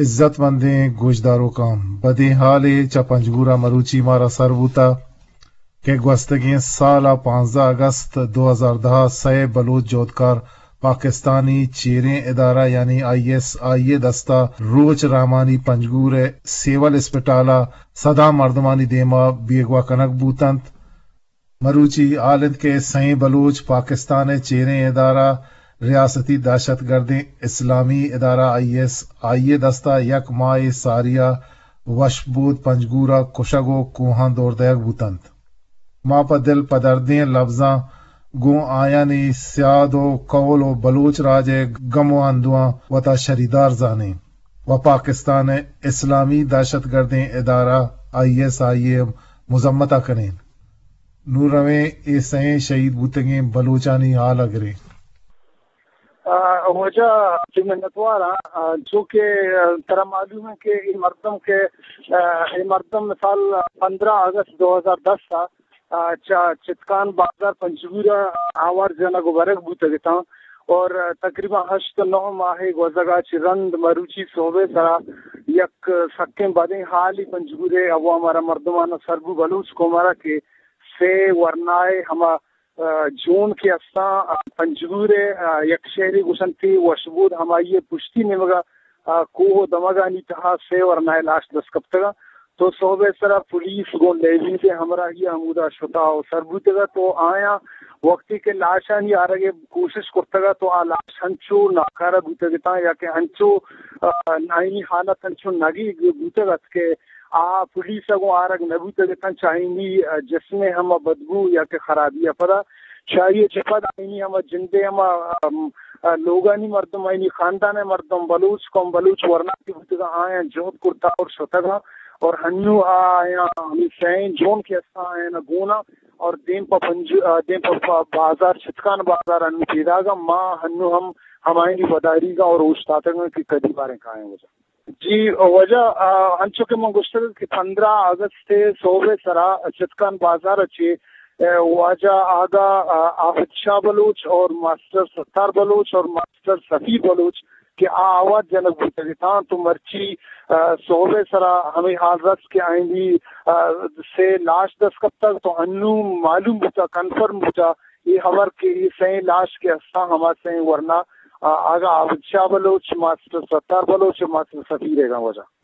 عزت مندیں گوشداروکاں، بدیں حالے چہ پنجگور ءَ مروچی مارا سر بوتہ کہ گوستگیں سال ءَ پانزدہ اگست دو ہزار دہ ءَ سئے بلوچ جہدکار پاکستانی چیریں ادارہ یعنی آئی ایس آئی ءِ دست ءَ روچ رحمانی پنجگور ءِ سیول اسپتال ءَ سداں مردمانی دیم ءَ بیگواہ کنگ بوت انت۔ مروچی حال انت کہ سئیں بلوچ پاکستان ءِ چیریں ادارہ ریاستی دہشت گردیں اسلامی ادارہ آئی ایس آئی ءِ دست ءَ یک ماہے ساری ءَ وشبود پنجگور ءَ کشگ ءُ کوہاں دور دئیگ بوت انت۔ ما پہ دل پدردیں لبزاں گوں آیانی سیاد ءُ قول ءُ بلوچ راج ءِ گم ءُ اندواں وتا شریدار زانیں ءُ پاکستان ءِ اسلامی دہشت گردیں ادارہ آئی ایس آئی ءِ مذمت ءَ کنیں۔ نوں رویں اے سئیں شہید بوتگیں بلوچانی حال ءَ گریں۔ آ، واجہ، چو منتوار آں، آ، چو کہ، آ، ترا معلوم ہے کہ اے مردم کہ، آ، اے مردم مثال پندرہ اگست دو ہزار دس ءَ، آ، چہ چتکان بازار پنجگور ءَ آوار جنگ ءُ برگ بوتگ اتاں اور تقریباً ہشت نو ماہ گوزگ ءَ چہ رند مروچی صحب ءِ سرا یک سکیں بدیں حالے پنجگور ءِ عوام ءَ را مردمان ءَ سر بو، بلوچ قوم ءَ را کہ سے ورنائے ہما آ، جون کہ استاں، آ، پنجگور ءِ، آ، یک شہرے گوشنت وشبود، ہمائی ءِ پشتی نیمگ ءَ، آ، کوہ ءُ دمگانی تہا سے ورنائے لاش دست کپتگ ءَ۔ تو صحب ءِ سرا پولیس گوں لیویز ءِ ہمراہی ءَ ہمودا شتا ءُ سر بوتگ ءَ۔ تو آیاں وقتی کہ لاشانی آرگ ءِ کوشش کرتگ ءَ تو آ لاش ہنچو ناکارہ بوتگ اتاں یا کہ ہنچو، آ، آئینی حالت ہنچو نگیگ بوتگ ات کہ آ پولیس ءَ گوں آرگ نہ بوتگ اتاں، چہ آئینی، آ، جسم ءِ ہما بدبو یا کہ خرابی ءَ پدا، چہ آئی ءَ چہ پد آئینی ہما جند ءِ ہما، آم، آ، لوگانی مردم، آئینی خاندان ءِ مردم، بلوچ قوم، بلوچ ورنا کہ بوتگ ءَ آیاں جہد کرتا اور شتگ ءَ اور ہنو آیاں ہمے سئیں جون کہ استاں آیاں گون ءَ اور دیم پہ پنج-، آ، دیم پہ، پہ بازار، چتکان بازار ہنو پیداگ ءَ، ما ہنو ہم ہمایانی وداریگ ءَ اور اوشتاتگ ءَ کہ کدی باریں کائیں واجہ۔ جی واجہ، آ، انچو کہ من گوشتگ کہ پندرہ اگست ءِ صحب ءِ سرا چتکان بازار ءَ چہ، آ، واجہ آگا، آ، عابد شاہ بلوچ اور ماسٹر ستار بلوچ اور ماسٹر سفیر بلوچ کہ آ آوار جنگ بوتگ اتاں، تو مرچی، آ، صحب ءِ سرا ہمے حال رست کہ آئینی، آ، سے لاش دست کپتگ، تو ہنو معلوم بوتا، کنفرم بوتا اے ہبر کہ اے سئیں لاش کہ استاں ہما سئیں ورنا، آ، آگا عابد شاہ بلوچ، ماسٹر ستار بلوچ، ماسٹر سفیر ءِ گاں واجہ۔